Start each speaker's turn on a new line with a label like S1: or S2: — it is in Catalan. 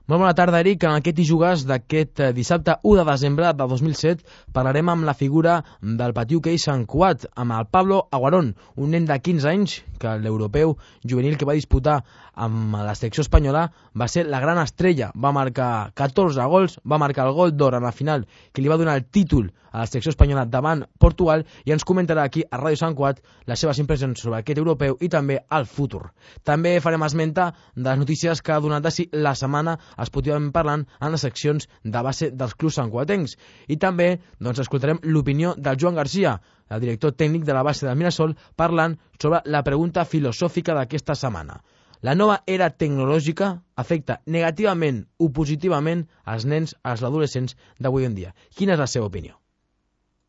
S1: Molt bona tarda, Eric. En aquest I Jugues d'aquest dissabte 1 de desembre de 2007 parlarem amb la figura del petit hoquei Sant Cugat, amb el Pablo Aguarón, un nen de 15 anys que l'europeu juvenil que va disputar amb la selecció espanyola va ser la gran estrella. Va marcar 14 gols, va marcar el gol d'or en la final que li va donar el títol a la selecció espanyola davant Portugal, i ens comentarà aquí a Ràdio Sant Cugat les seves impressions sobre aquest europeu i també el futur. També farem esmenta de les notícies que ha donat de si la setmana esportivament parlant en les seccions de base dels clubs santcugatencs. I també escoltarem l'opinió del Joan Garcia, el director tècnic de la base del Mirasol, parlant sobre la pregunta filosòfica d'aquesta setmana. La nova era tecnològica afecta negativament o positivament als nens, als adolescents d'avui en dia. Quina és la seva opinió?